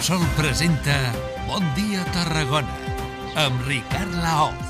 Repsol presenta Bon dia Tarragona amb Ricard Laoz.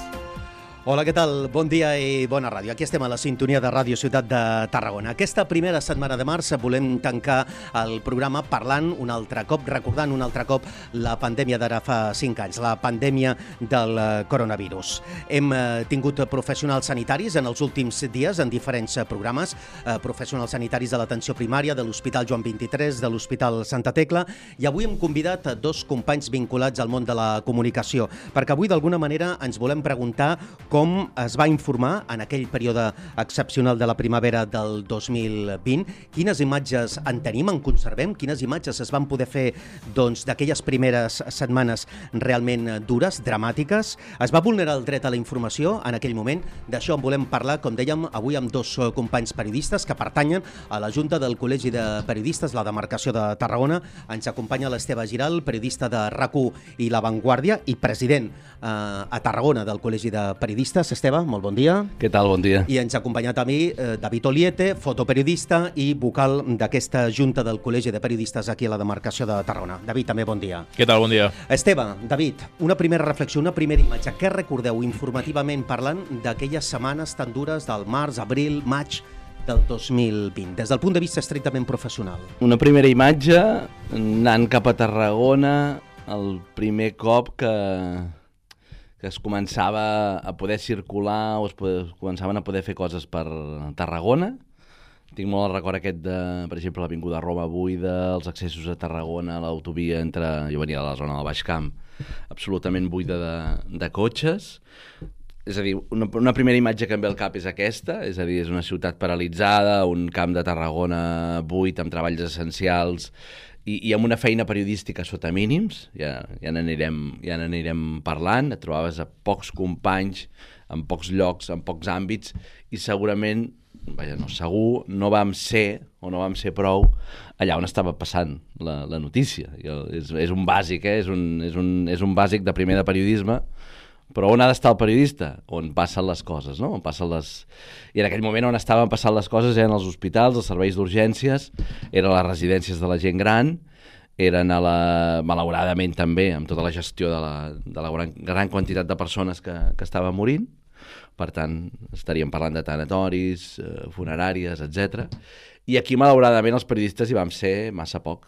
Hola, què tal? Bon dia i bona ràdio. Aquí estem a la sintonia de Ràdio Ciutat de Tarragona. Aquesta primera setmana de març volem tancar el programa parlant un altre cop, recordant un altre cop la pandèmia d'ara fa 5 anys, la pandèmia del coronavirus. Hem tingut professionals sanitaris en els últims dies en diferents programes, professionals sanitaris de l'atenció primària, de l'Hospital Joan 23, de l'Hospital Santa Tecla, i avui hem convidat dos companys vinculats al món de la comunicació, perquè avui d'alguna manera ens volem preguntar com es va informar en aquell període excepcional de la primavera del 2020, quines imatges en tenim, en conservem, quines imatges es van poder fer d'aquelles primeres setmanes realment dures, dramàtiques. Es va vulnerar el dret a la informació en aquell moment. D'això en volem parlar, com dèiem, avui amb dos companys periodistes que pertanyen a la Junta del Col·legi de Periodistes, la demarcació de Tarragona. Ens acompanya l'Esteve Giral, periodista de RAC1 i La Vanguardia i president a Tarragona del Col·legi de Periodistes. Esteve, molt bon dia. Què tal? Bon dia. I ens ha acompanyat a mi David Oliete, fotoperiodista i vocal d'aquesta Junta del Col·legi de Periodistes aquí a la demarcació de Tarragona. David, també bon dia. Què tal? Bon dia. Esteve, David, una primera reflexió, una primera imatge. Què recordeu informativament parlant d'aquelles setmanes tan dures del març, abril, maig del 2020, des del punt de vista estrictament professional? Una primera imatge anant cap a Tarragona, el primer cop que es començava a poder circular o es començaven a poder fer coses per Tarragona. Tinc molt el record aquest de, per exemple, l'Avinguda Roma buida, els accessos a Tarragona, l'autovia entre... Jo venia de la zona del Baix Camp, absolutament buida de cotxes. És a dir, una primera imatge que em ve al cap és aquesta, és a dir, és una ciutat paralitzada, un camp de Tarragona buit amb treballs essencials i amb una feina periodística sota mínims, ja n'anirem parlant, et trobaves a pocs companys, en pocs llocs, en pocs àmbits, i segurament, segur, no vam ser prou allà on estava passant la notícia. És un bàsic, és un bàsic de primer de periodisme, però on ha d'estar el periodista? On passen les coses, no? I en aquell moment on estaven passant les coses eren els hospitals, els serveis d'urgències, eren les residències de la gent gran, eren malauradament també amb tota la gestió de la gran quantitat de persones que estaven morint. Per tant, estaríem parlant de tanatoris, funeràries, etc. I aquí, malauradament, els periodistes hi vam ser massa poc.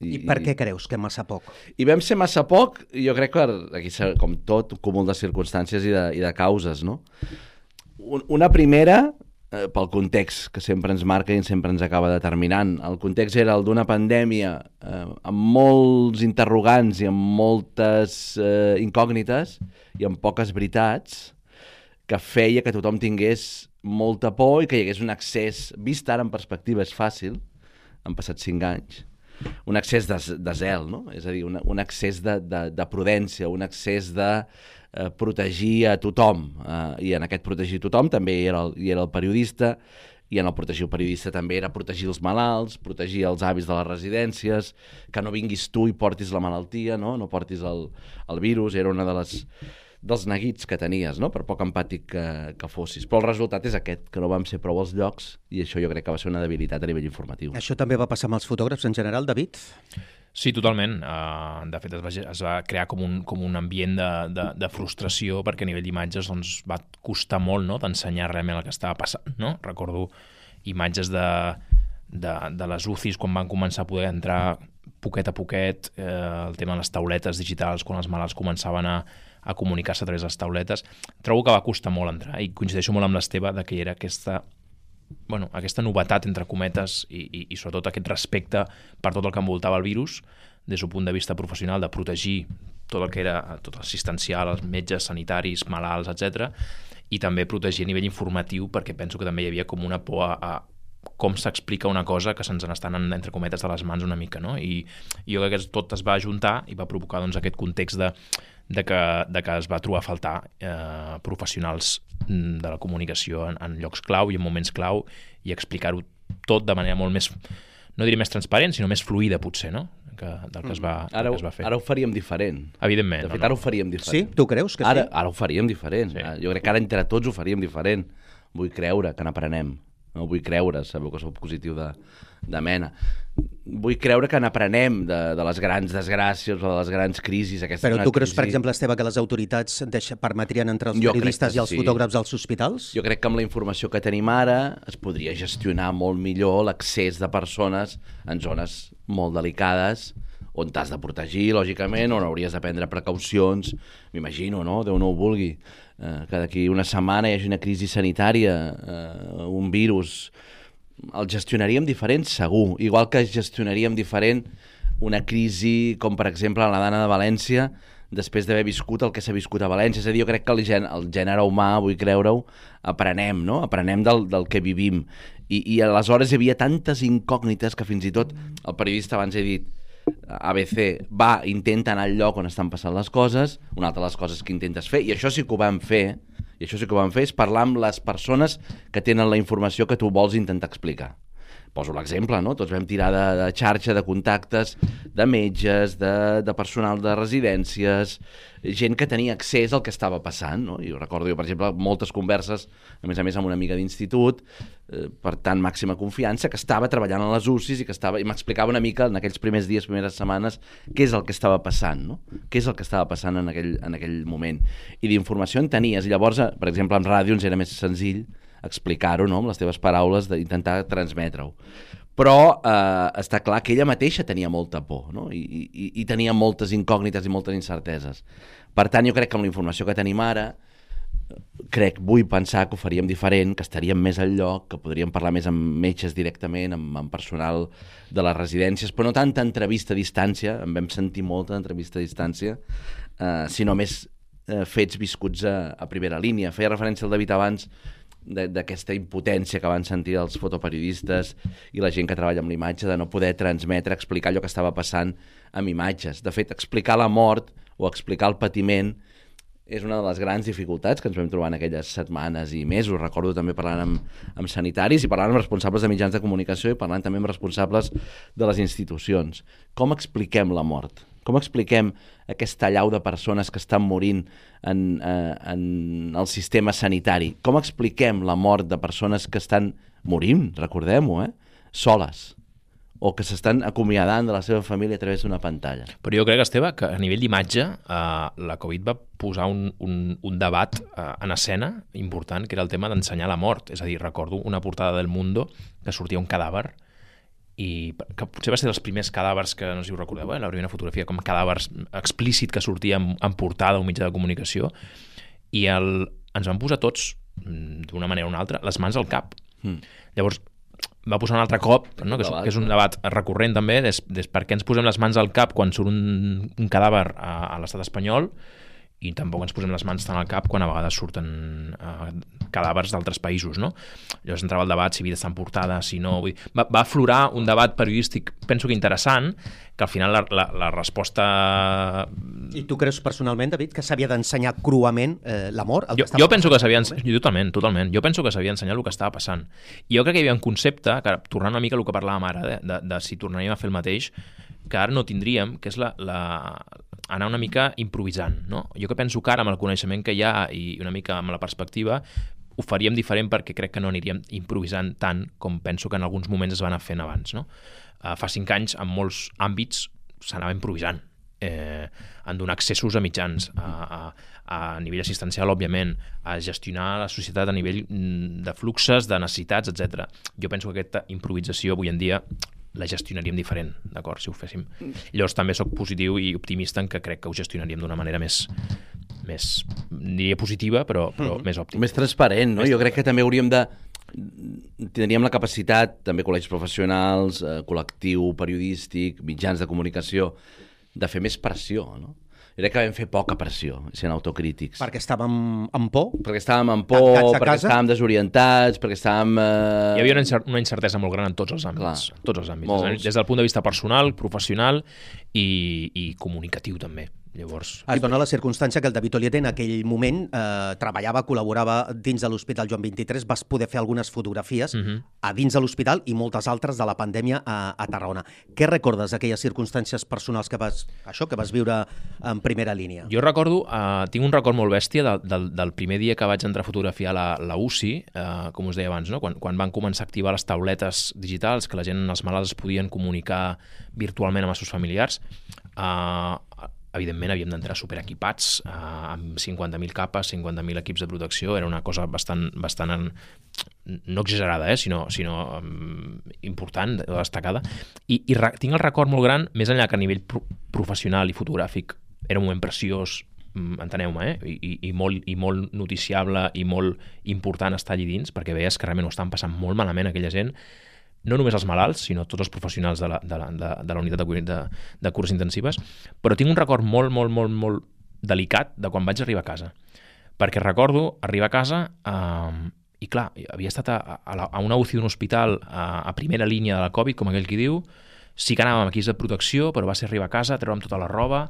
I per què creus que massa poc? I vam ser massa poc, jo crec que aquí, com tot, un cúmul de circumstàncies i de causes, no? Una primera, pel context que sempre ens marca i sempre ens acaba determinant. El context era el d'una pandèmia amb molts interrogants i amb moltes incògnites i amb poques veritats, que feia que tothom tingués molta por i que hi hagués un accés, vist ara en perspectiva és fàcil, han passat 5 anys, un accés de zel, no? És a dir, un accés de prudència, un accés de protegir a tothom, i en aquest protegir tothom també hi era el periodista, i en el protegir el periodista també era protegir els malalts, protegir els avis de les residències, que no vinguis tu i portis la malaltia, no portis el virus, era una dels neguits que tenies, no? Per poc empàtic que fossis. Però el resultat és aquest, que no vam ser prou als llocs, i això jo crec que va ser una debilitat a nivell informatiu. Això també va passar amb els fotògrafs en general, David? Sí, totalment. De fet, es va crear com un ambient de frustració perquè a nivell d'imatges va costar molt, no?, d'ensenyar realment el que estava passant, no? Recordo imatges de les UCIs quan van començar a poder entrar poquet a poquet, el tema de les tauletes digitals, quan els malalts començaven a comunicar-se a través de les tauletes. Trobo que va costar molt entrar i coincideixo molt amb l'Esteve que era aquesta novetat, entre cometes, i sobretot aquest respecte per tot el que envoltava el virus, des d'un punt de vista professional, de protegir tot el que era tot assistencial, els metges, sanitaris, malalts, etc. I també protegir a nivell informatiu, perquè penso que també hi havia com una por a com s'explica una cosa que se'ns n'estan, entre cometes, de les mans una mica, no? I jo crec que tot es va ajuntar i va provocar aquest context de que es va trobar a faltar professionals de la comunicació en llocs clau i en moments clau, i explicar-ho tot de manera molt més, no diré més transparent, sinó més fluida, potser, no?, del que es va fer. Ara ho faríem diferent. Evidentment. De fet, ara ho faríem diferent. Sí? Tu creus que sí? Ara ho faríem diferent. Sí. Jo crec que ara entre tots ho faríem diferent. Vull creure que n'aprenem. no vull creure, sabeu que soc positiu de mena. Vull creure que n'aprenem de les grans desgràcies o de les grans crisis. Però tu creus, per exemple, Esteve, que les autoritats permetrien entrar els periodistes i els fotògrafs als hospitals? Jo crec que amb la informació que tenim ara es podria gestionar molt millor l'accés de persones en zones molt delicades on t'has de protegir, lògicament, on hauries de prendre precaucions. M'imagino, no? Déu no ho vulgui. Que d'aquí una setmana hi hagi una crisi sanitària, un virus. El gestionaríem diferent, segur. Igual que gestionaríem diferent una crisi com, per exemple, la Dana de València, després d'haver viscut el que s'ha viscut a València. És a dir, jo crec que el gènere humà, vull creure-ho, aprenem, no? Aprenem del que vivim. I aleshores hi havia tantes incògnites que fins i tot el periodista, abans he dit, ABC intenta anar al lloc on estan passant les coses, una altra de les coses que intentes fer, i això sí que ho vam fer, és parlar amb les persones que tenen la informació que tu vols intentar explicar. Poso l'exemple, no? Tots vam tirar de xarxa, de contactes, de metges, de personal de residències, gent que tenia accés al que estava passant, no? I recordo, per exemple, moltes converses, a més amb una amiga d'institut, per tant, màxima confiança, que estava treballant a les UCIs i m'explicava una mica en aquells primers dies, primeres setmanes, què és el que estava passant, no? Què és el que estava passant en aquell moment. I d'informació en tenies. I llavors, per exemple, en ràdio ens era més senzill explicar-ho, no? Amb les teves paraules, d'intentar transmetre-ho. Però està clar que ella mateixa tenia molta por, no? I tenia moltes incògnites i moltes incerteses. Per tant, jo crec que amb la informació que tenim ara, vull pensar que ho faríem diferent, que estaríem més al lloc, que podríem parlar més amb metges directament, amb personal de les residències, però no tanta entrevista a distància, en vam sentir molta entrevista a distància, sinó més fets viscuts a primera línia. Feia referència al David abans d'aquesta impotència que van sentir els fotoperiodistes i la gent que treballa amb l'imatge, de no poder transmetre, explicar allò que estava passant amb imatges. De fet, explicar la mort o explicar el patiment és una de les grans dificultats que ens vam trobar en aquelles setmanes i mesos. Recordo també parlant amb sanitaris i parlant amb responsables de mitjans de comunicació i parlant també amb responsables de les institucions. Com expliquem la mort? Com expliquem aquesta allau de persones que estan morint en el sistema sanitari? Com expliquem la mort de persones que estan morint, recordem-ho, soles, o que s'estan acomiadant de la seva família a través d'una pantalla? Però jo crec, Esteve, que a nivell d'imatge la Covid va posar un debat en escena important, que era el tema d'ensenyar la mort. És a dir, recordo una portada del Mundo que sortia un cadàver i que potser va ser dels primers cadàvers que, no sé si ho recordeu, la primera fotografia com cadàvers explícit que sortia en portada o mitjà de comunicació, i ens van posar tots, d'una manera o una altra, les mans al cap. Llavors va posar un altre cop, no? que és un debat recurrent també, per què ens posem les mans al cap quan surt un cadàver a l'estat espanyol i tampoc ens posem les mans tant al cap quan a vegades surten cadàvers d'altres països, no? Llavors entrava el debat si havia d'estar en portada, si no... Va aflorar un debat periodístic, penso que interessant, que al final la resposta... I tu creus personalment, David, que s'havia d'ensenyar cruament la mort? Jo penso que s'havia d'ensenyar... Totalment. Jo penso que s'havia d'ensenyar el que estava passant. I jo crec que hi havia un concepte, que tornant una mica al que parlàvem ara, de si tornaríem a fer el mateix, que ara no tindríem, que és anar una mica improvisant, no? Jo que penso que ara, amb el coneixement que hi ha i una mica amb la perspectiva, ho faríem diferent perquè crec que no aniríem improvisant tant com penso que en alguns moments es van anar fent abans, no? Fa 5 anys, en molts àmbits, s'anava improvisant, en donar accessos a mitjans, a nivell assistencial, òbviament, a gestionar la societat a nivell de fluxes, de necessitats, etc. Jo penso que aquesta improvisació avui en dia la gestionaríem diferent, d'acord, si ho féssim. Llavors també sóc positiu i optimista en que crec que ho gestionaríem d'una manera més diria positiva, però més òptima. Més transparent, no? Jo crec que també tindríem la capacitat, també col·legis professionals, col·lectiu periodístic, mitjans de comunicació, de fer més pressió, no? Jo crec que vam fer poca pressió, sent autocrítics. Perquè estàvem amb por? Perquè estàvem amb por, perquè estàvem desorientats, perquè estàvem... Hi havia una incertesa molt gran en tots els àmbits. Clar, tots els àmbits. Des del punt de vista personal, professional i comunicatiu també. Llavors... Es dona la circumstància que el David Oliete en aquell moment treballava, col·laborava dins de l'Hospital Joan 23, vas poder fer algunes fotografies a dins de l'hospital i moltes altres de la pandèmia a Tarragona. Què recordes d'aquelles circumstàncies personals que vas viure en primera línia? Jo recordo, tinc un record molt bèstia del primer dia que vaig entrar a fotografiar la UCI, com us deia abans, no? Quan van començar a activar les tauletes digitals, que la gent, els malalts es podien comunicar virtualment amb els seus familiars, evidentment havíem d'entrar superequipats, amb 50.000 capes, 50.000 equips de protecció, era una cosa bastant no exagerada, sinó important, destacada, i tinc el record molt gran, més enllà que a nivell professional i fotogràfic era un moment preciós, enteneu-me, i molt noticiable i molt important estar allí dins, perquè veies que realment ho estan passant molt malament aquella gent, no només els malalts, sinó tots els professionals de la unitat de cures intensives, però tinc un record molt delicat de quan vaig arribar a casa. Perquè recordo arribar a casa i, clar, havia estat a una UCI d'un hospital a primera línia de la Covid, com aquell qui diu, sí que anàvem amb equips de protecció, però va ser arribar a casa, treure'm tota la roba,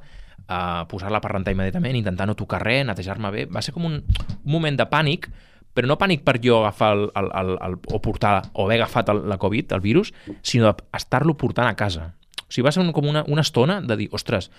posar-la per rentar immediatament, intentar no tocar res, netejar-me bé. Va ser com un moment de pànic, però no pànic per jo agafar o portar o haver agafat la Covid, el virus, sinó estar-lo portant a casa. O sigui, va ser com una estona de dir, ostres,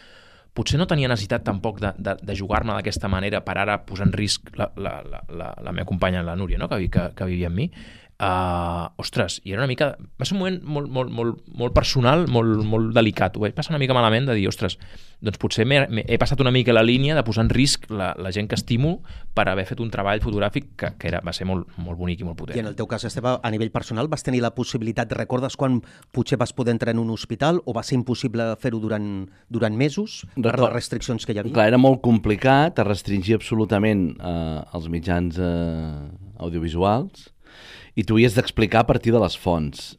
potser no tenia necessitat tampoc de jugar-me d'aquesta manera per ara posar en risc la meva companya, la Núria, no? que vivia amb mi. Ostres, i era una mica... Va ser un moment molt personal, molt delicat. Ho vaig passar una mica malament de dir, ostres, doncs potser he passat una mica la línia de posar en risc la gent que estimo per haver fet un treball fotogràfic que va ser molt bonic i molt potent. I en el teu cas, Esteve, a nivell personal, vas tenir la possibilitat, recordes quan potser vas poder entrar en un hospital o va ser impossible fer-ho durant mesos per les restriccions que hi havia? Clar, era molt complicat, es restringia absolutament els mitjans audiovisuals, i tu havies d'explicar a partir de les fonts.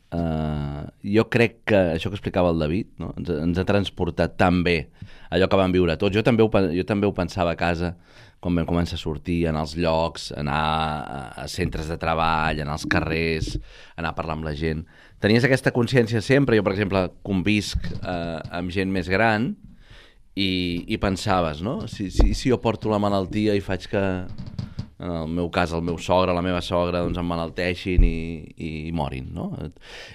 Jo crec que això que explicava el David, no? ens ha transportat tan bé allò que vam viure tots. Jo també ho pensava a casa quan vam començar a sortir, anar als llocs, anar a centres de treball, anar als carrers, anar a parlar amb la gent. Tenies aquesta consciència sempre. Jo, per exemple, convisc amb gent més gran i pensaves, no? Si jo porto la malaltia i faig que... en el meu cas, el meu sogre, la meva sogra, doncs emmalalteixin i morin, no?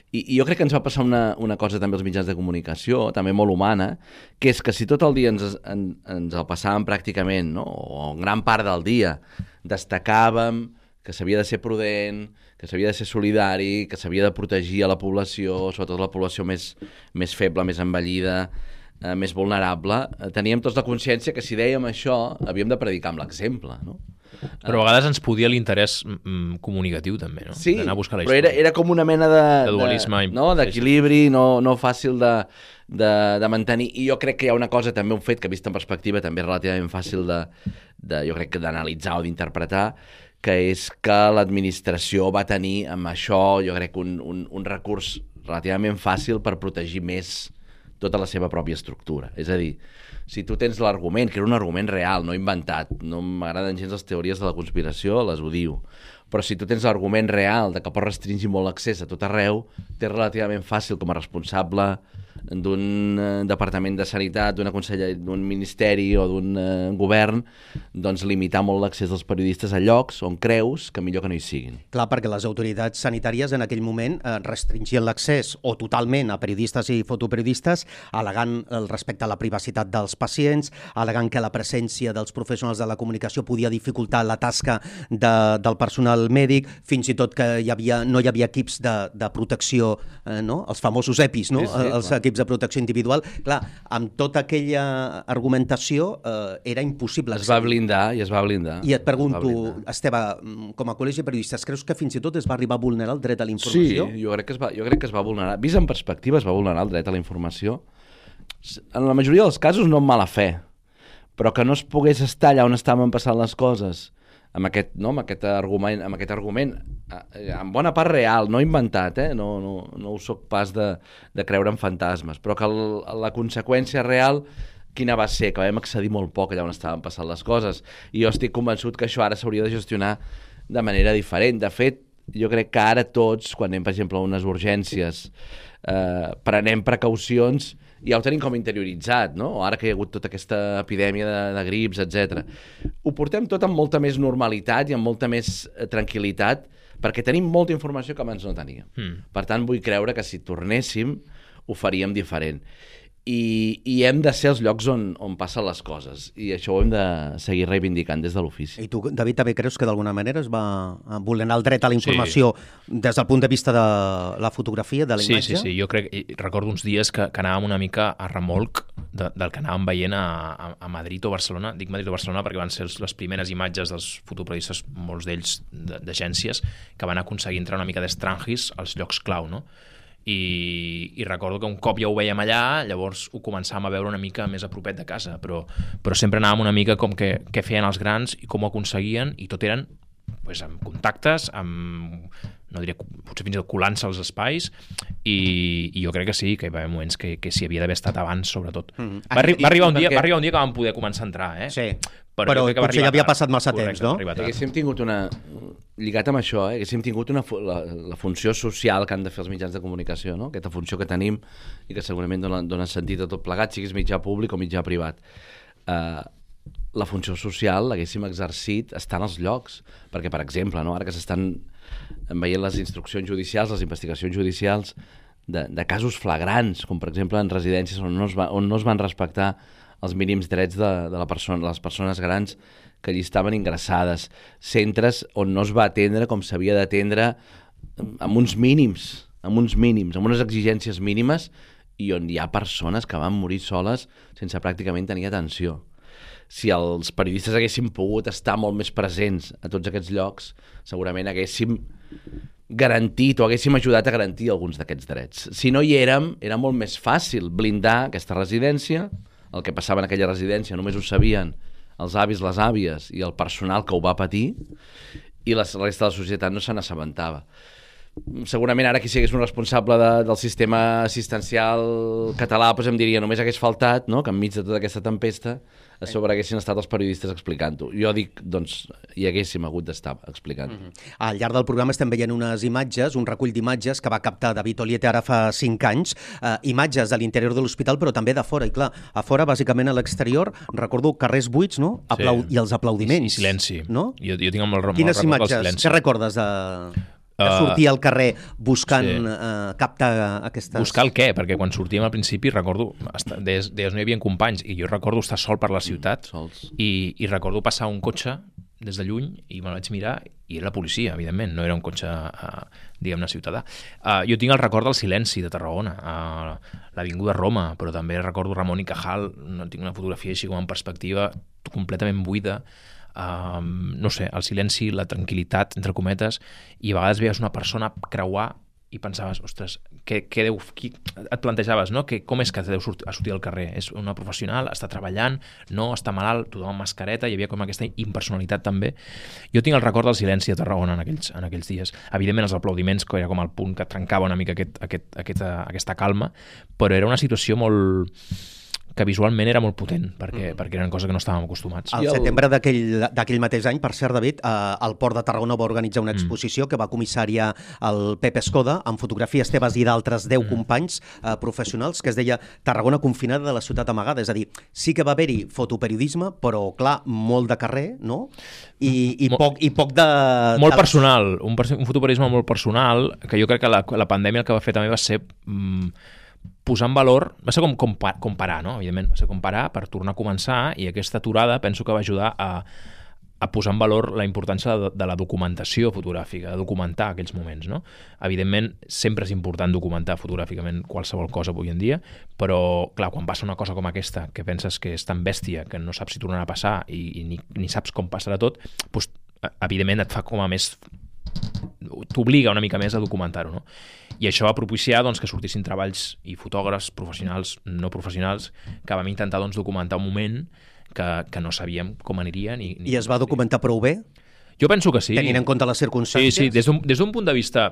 I jo crec que ens va passar una cosa també als mitjans de comunicació, també molt humana, que és que si tot el dia ens el passàvem pràcticament, no? O en gran part del dia, destacàvem que s'havia de ser prudent, que s'havia de ser solidari, que s'havia de protegir a la població, sobretot la població més feble, més envellida, més vulnerable, teníem tots la consciència que si dèiem això havíem de predicar amb l'exemple, no? Però a vegades ens podia l'interès comunicatiu també, no? Sí, d'anar a buscar la però història. era com una mena de dualisme, d'equilibri, no fàcil de mantenir. I jo crec que hi ha una cosa, també un fet que vist en perspectiva també relativament fàcil jo crec que d'analitzar o d'interpretar, que és que l'administració va tenir amb això, jo crec, un recurs relativament fàcil per protegir més tota la seva pròpia estructura. És a dir, si tu tens l'argument, que era un argument real, no inventat, no m'agraden gens les teories de la conspiració, les odio, però si tu tens l'argument real de que pots restringir molt l'accés a tot arreu, t'és relativament fàcil com a responsable d'un departament de sanitat, d'un ministeri o d'un govern, doncs limitar molt l'accés dels periodistes a llocs on creus que millor que no hi siguin. Clar, perquè les autoritats sanitàries en aquell moment restringien l'accés o totalment a periodistes i fotoperiodistes, al·legant el respecte a la privacitat dels pacients, al·legant que la presència dels professionals de la comunicació podia dificultar la tasca del personal mèdic, fins i tot que no hi havia equips de protecció, no? Els famosos EPIs, no? Sí, Els equips de protecció individual. Clar, amb tota aquella argumentació era impossible. Es va blindar. I et pregunto, Esteve, com a col·legi de periodistes, creus que fins i tot es va arribar a vulnerar el dret a la informació? Sí, jo crec que es va vulnerar. Vist en perspectiva, es va vulnerar el dret a la informació. En la majoria dels casos no amb mala fe, però que no es pogués estar allà on estaven passant les coses amb aquest argument, en bona part real, no inventat, no ho soc pas de creure en fantasmes, però que la conseqüència real quina va ser? Que vam accedir molt poc allà on estaven passant les coses, i jo estic convençut que això ara s'hauria de gestionar de manera diferent. De fet, jo crec que ara tots, quan anem, per exemple, a unes urgències prenem precaucions i ja ho tenim com interioritzat, no? O ara que hi ha hagut tota aquesta epidèmia de grips, etc. Ho portem tot amb molta més normalitat i amb molta més tranquil·litat, perquè tenim molta informació que abans no teníem. Per tant, vull creure que si tornéssim ho faríem diferent. I hem de ser els llocs on passen les coses, i això ho hem de seguir reivindicant des de l'ofici. I tu, David, també creus que d'alguna manera es va vulnerar el dret a la informació des del punt de vista de la fotografia, de la imatge? Sí. Jo recordo uns dies que anàvem una mica a remolc del que anàvem veient a Madrid o Barcelona. Dic Madrid o Barcelona perquè van ser les primeres imatges dels fotoperiodistes, molts d'ells d'agències, que van aconseguir entrar una mica d'estrangis als llocs clau, no? I recordo que un cop ja ho veiem allà, llavors ho començàvem a veure una mica més a propet de casa, però sempre anàvem una mica com què feien els grans i com ho aconseguien, i tot eren amb contactes, no diria, potser fins i tot colant-se als espais, i jo crec que sí, que hi va haver moments que s'hi havia d'haver estat abans, sobretot. Va arribar un dia que vam poder començar a entrar, Sí, però potser ja havia passat massa temps, no? Haguéssim tingut lligat amb això, haguéssim tingut la funció social que han de fer els mitjans de comunicació, no? Aquesta funció que tenim i que segurament dona sentit a tot plegat, siguis mitjà públic o mitjà privat. La funció social l'haguéssim exercit estant als llocs, perquè, per exemple, no? Ara que s'estan veient les instruccions judicials, les investigacions judicials de casos flagrants, com per exemple en residències on no es van respectar els mínims drets de les persones grans que allí estaven ingressades, centres on no es va atendre com s'havia d'atendre, amb uns mínims, amb unes exigències mínimes, i on hi ha persones que van morir soles sense pràcticament tenir atenció. Si els periodistes haguéssim pogut estar molt més presents a tots aquests llocs, segurament haguéssim garantit o haguéssim ajudat a garantir alguns d'aquests drets. Si no hi érem, era molt més fàcil blindar aquesta residència. El que passava en aquella residència només ho sabien els avis, les àvies i el personal que ho va patir, i la resta de la societat no se n'assabentava. Segurament ara qui sigués un responsable del sistema assistencial català em diria, només hagués faltat, no?, que enmig de tota aquesta tempesta a sobre haguessin estat els periodistes explicant-ho. Jo dic, doncs, hi haguéssim hagut d'estar explicant-ho. Al llarg del programa estem veient unes imatges, un recull d'imatges que va captar David Oliete ara fa 5 anys, imatges de l'interior de l'hospital, però també de fora. I clar, a fora, bàsicament a l'exterior, recordo carrers buits, no? I els aplaudiments. I silenci. No? Jo tinc molt record Quines imatges? Què recordes de sortir al carrer buscant captar aquestes... Buscar el què? Perquè quan sortíem al principi, recordo, deies no hi havia companys, i jo recordo estar sol per la ciutat, i recordo passar un cotxe des de lluny, i me'l vaig mirar, i era la policia, evidentment, no era un cotxe, diguem-ne, ciutadà. Jo tinc el record del silenci de Tarragona, l'Avinguda Roma, però també recordo Ramon i Cajal, tinc una fotografia així com en perspectiva completament buida, no sé, el silenci, la tranquil·litat, entre cometes, i a vegades veies una persona creuar i pensaves, ostres, et plantejaves, no? Com és que deu sortir al carrer? És una professional, està treballant, no, està malalt, tothom amb mascareta, hi havia com aquesta impersonalitat també. Jo tinc el record del silenci a Tarragona en aquells dies. Evidentment els aplaudiments, que era com el punt que trencava una mica aquesta calma, però era una situació que visualment era molt potent, perquè eren coses que no estàvem acostumats. Al setembre d'aquell mateix any, per cert, David, el Port de Tarragona va organitzar una exposició que va comissariar el Pep Escoda, amb fotografies teves i d'altres 10 companys professionals, que es deia Tarragona confinada de la ciutat amagada. És a dir, sí que va haver-hi fotoperiodisme, però, clar, molt de carrer, no? I poc de... Molt personal, un fotoperiodisme molt personal, que jo crec que la pandèmia el que va fer també va ser... posar en valor, va ser com comparar, no? Evidentment, va ser comparar per tornar a començar, i aquesta aturada penso que va ajudar a posar en valor la importància de la documentació fotogràfica, de documentar aquells moments, no? Evidentment, sempre és important documentar fotogràficament qualsevol cosa avui en dia, però, clar, quan passa una cosa com aquesta, que penses que és tan bèstia, que no saps si tornarà a passar i ni saps com passarà tot, doncs, evidentment et fa com a més... t'obliga una mica més a documentar-ho, no? I això va propiciar que sortissin treballs i fotògrafs professionals, no professionals, que vam intentar documentar un moment que no sabíem com aniria. I es va documentar prou bé? Jo penso que sí. Tenint en compte les circumstàncies? Sí, des d'un punt de vista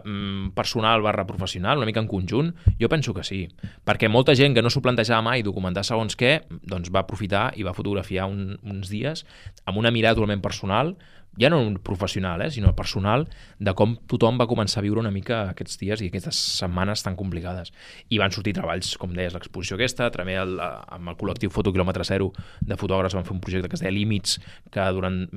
personal / professional, una mica en conjunt, jo penso que sí. Perquè molta gent que no s'ho plantejava mai documentar segons què, doncs va aprofitar i va fotografiar uns dies amb una mirada totalment personal, ja no professional, sinó personal, de com tothom va començar a viure una mica aquests dies i aquestes setmanes tan complicades. I van sortir treballs, com deies, l'exposició aquesta, també amb el col·lectiu Foto Quilòmetre Zero de fotògrafs van fer un projecte que es deia Límits, que durant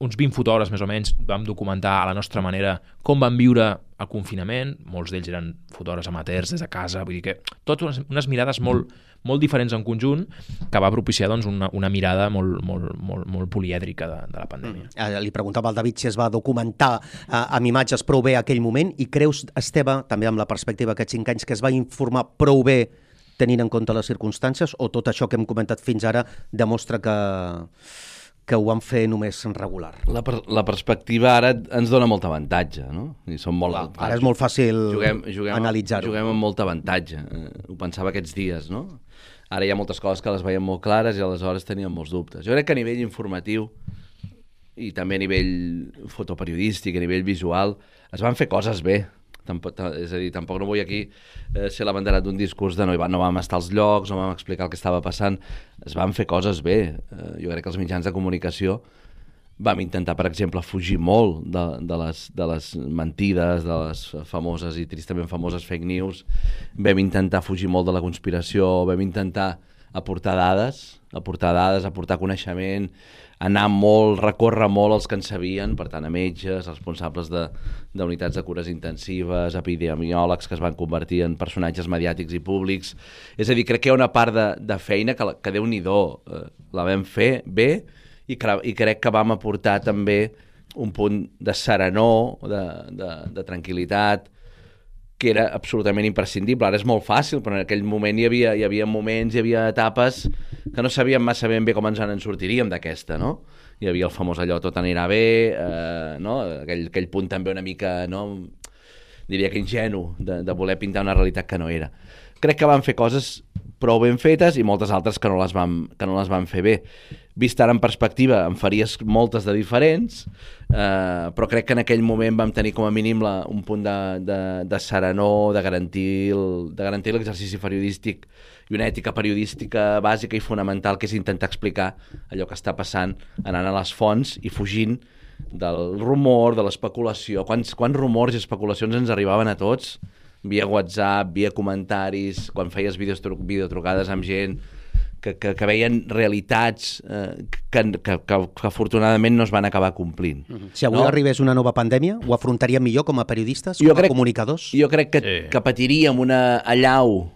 uns 20 fotògrafs més o menys vam documentar a la nostra manera com van viure el confinament. Molts d'ells eren fotògrafs amateurs des de casa, vull dir que totes unes mirades molt diferents en conjunt, que va propiciar doncs, una mirada molt polièdrica de la pandèmia. Li preguntava al David si es va documentar amb imatges prou bé aquell moment, i creus, Esteve, també amb la perspectiva d'aquests 5 anys, que es va informar prou bé tenint en compte les circumstàncies, o tot això que hem comentat fins ara demostra que ho van fer només regular? La perspectiva ara ens dona molt avantatge, no? I som molt, ara és molt fàcil analitzar-ho. Juguem amb molt avantatge. Ho pensava aquests dies, no? Ara hi ha moltes coses que les veiem molt clares i aleshores teníem molts dubtes. Jo crec que a nivell informatiu i també a nivell fotoperiodístic, a nivell visual, es van fer coses bé. És a dir, tampoc no vull aquí ser l'abanderat d'un discurs de no vam estar als llocs, no vam explicar el que estava passant. Es van fer coses bé. Jo crec que els mitjans de comunicació vam intentar, per exemple, fugir molt de les mentides, de les famoses i tristament famoses fake news. Vam intentar fugir molt de la conspiració, vam intentar aportar dades, aportar coneixement, recórrer molt els que en sabien, per tant, a metges, responsables d'unitats de cures intensives, epidemiòlegs que es van convertir en personatges mediàtics i públics. És a dir, crec que hi ha una part de feina que Déu-n'hi-do, la vam fer bé, i crec que vam aportar també un punt de serenor, de tranquil·litat, que era absolutament imprescindible. Ara és molt fàcil, però en aquell moment hi havia moments, hi havia etapes que no sabíem massa ben bé com ens en sortiríem d'aquesta, no? Hi havia el famós allò tot anirà bé, no? Aquell punt també una mica, no? Diria que ingenu, de voler pintar una realitat que no era. Crec que van fer coses prou ben fetes i moltes altres que no les van fer bé. Vist ara en perspectiva, en faries moltes de diferents, però crec que en aquell moment vam tenir com a mínim un punt de serenor, de garantir l'exercici periodístic i una ètica periodística bàsica i fonamental, que és intentar explicar allò que està passant, anant a les fonts i fugint del rumor, de l'especulació. Quants rumors i especulacions ens arribaven a tots, via WhatsApp, via comentaris, quan feies videotrucades amb gent que veien realitats que afortunadament no es van acabar complint. Si avui arribés una nova pandèmia, ho afrontaríem millor com a periodistes, com a comunicadors? Jo crec que patiríem una allau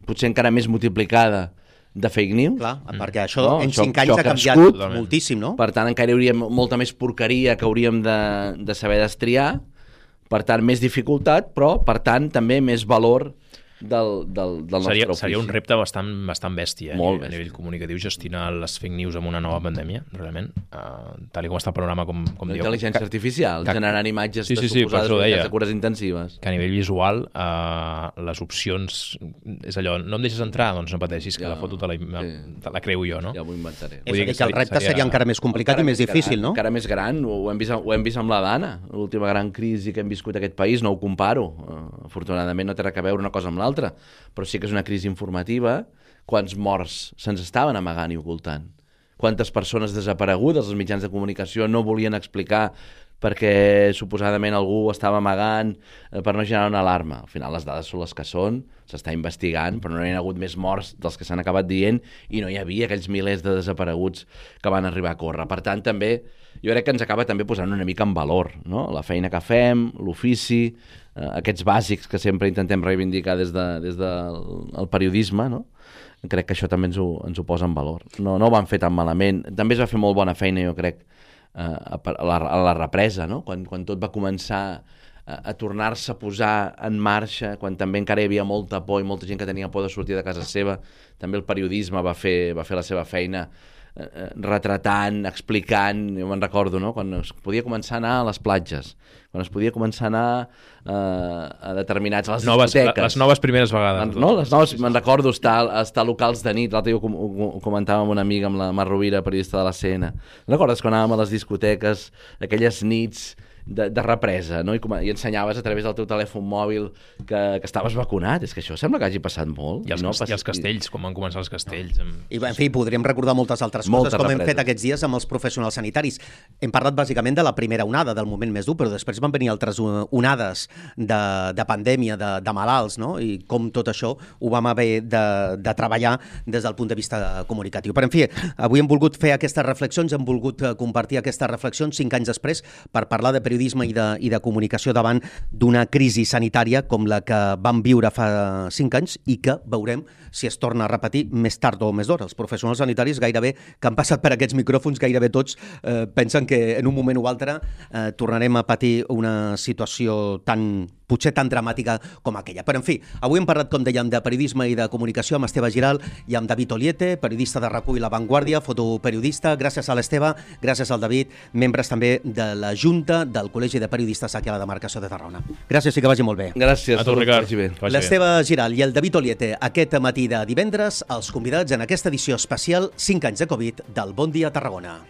potser encara més multiplicada de fake news. Clar, perquè això en 5 anys ha canviat moltíssim, no? Per tant, encara hi hauria molta més porqueria que hauríem de saber destriar, per tant, més dificultat, però, per tant, també més valor del nostre ofici. Seria un repte bastant bèstia a nivell comunicatiu, gestionar les fake news amb una nova pandèmia, realment, tal com està el programa, com diu. Intel·ligència artificial, generant imatges de suposades unitats de cures intensives. Que a nivell visual, les opcions, és allò, no em deixes entrar? Doncs no pateixis, que la foto te la creu jo, no? Ja m'ho inventaré. És a dir, que el repte seria encara més complicat i més difícil, no? Encara més gran, ho hem vist amb la Dana, l'última gran crisi que hem viscut aquest país, no ho comparo. Afortunadament no té res a veure una cosa amb l'altra, però sí que és una crisi informativa. Quants morts se'ns estaven amagant i ocultant? Quantes persones desaparegudes els mitjans de comunicació no volien explicar perquè suposadament algú estava amagant per no generar una alarma? Al final les dades són les que són, s'està investigant, però no hi ha hagut més morts dels que s'han acabat dient i no hi havia aquells milers de desapareguts que van arribar a córrer. Per tant, també jo crec que ens acaba també posant una mica en valor, no? La feina que fem, l'ofici, aquests bàsics que sempre intentem reivindicar des del periodisme, no? Crec que això també ens ho posa en valor. No ho van fer tan malament. També es va fer molt bona feina, jo crec, a la represa, no? Quan tot va començar a tornar-se a posar en marxa, quan també encara hi havia molta por i molta gent que tenia por de sortir de casa seva. També el periodisme va fer la seva feina retratant, explicant. Jo me'n recordo, no? Quan es podia començar a anar a les platges, quan es podia començar a anar a determinats... a les discoteques. Les noves primeres vegades. No? Les noves, me'n recordo estar a locals de nit. L'altre dia ho comentava amb una amiga, amb la Mar Rovira, periodista de la CN. Recordes quan anàvem a les discoteques, aquelles nits de represa, no? I ensenyaves a través del teu telèfon mòbil que estaves vacunat? És que això sembla que hagi passat molt. I els castells, com van començar els castells. I en fi, podríem recordar moltes altres coses, com hem fet aquests dies amb els professionals sanitaris. Hem parlat bàsicament de la primera onada, del moment més dur, però després van venir altres onades de pandèmia, de malalts, no? I com tot això ho vam haver de treballar des del punt de vista comunicatiu. Però, en fi, avui hem volgut fer aquestes reflexions, hem volgut compartir aquestes reflexions 5 anys després per parlar de periodisme i de comunicació davant d'una crisi sanitària com la que vam viure fa 5 anys i que veurem si es torna a repetir més tard o més d'hora. Els professionals sanitaris gairebé que han passat per aquests micròfons, gairebé tots pensen que en un moment o altre tornarem a patir una situació potser tan dramàtica com aquella. Però, en fi, avui hem parlat, com dèiem, de periodisme i de comunicació amb Esteve Giral i amb David Oliete, periodista de RAC1 i La Vanguardia, fotoperiodista. Gràcies a l'Esteve, gràcies al David, membres també de la Junta del Col·legi de Periodistes aquí a la demarcació de Tarragona. Gràcies i que vagi molt bé. Gràcies. A tu, Ricard. L'Esteve Giral i el David Oliete, aquest matí de divendres, els convidats en aquesta edició especial 5 anys de Covid del Bon Dia Tarragona.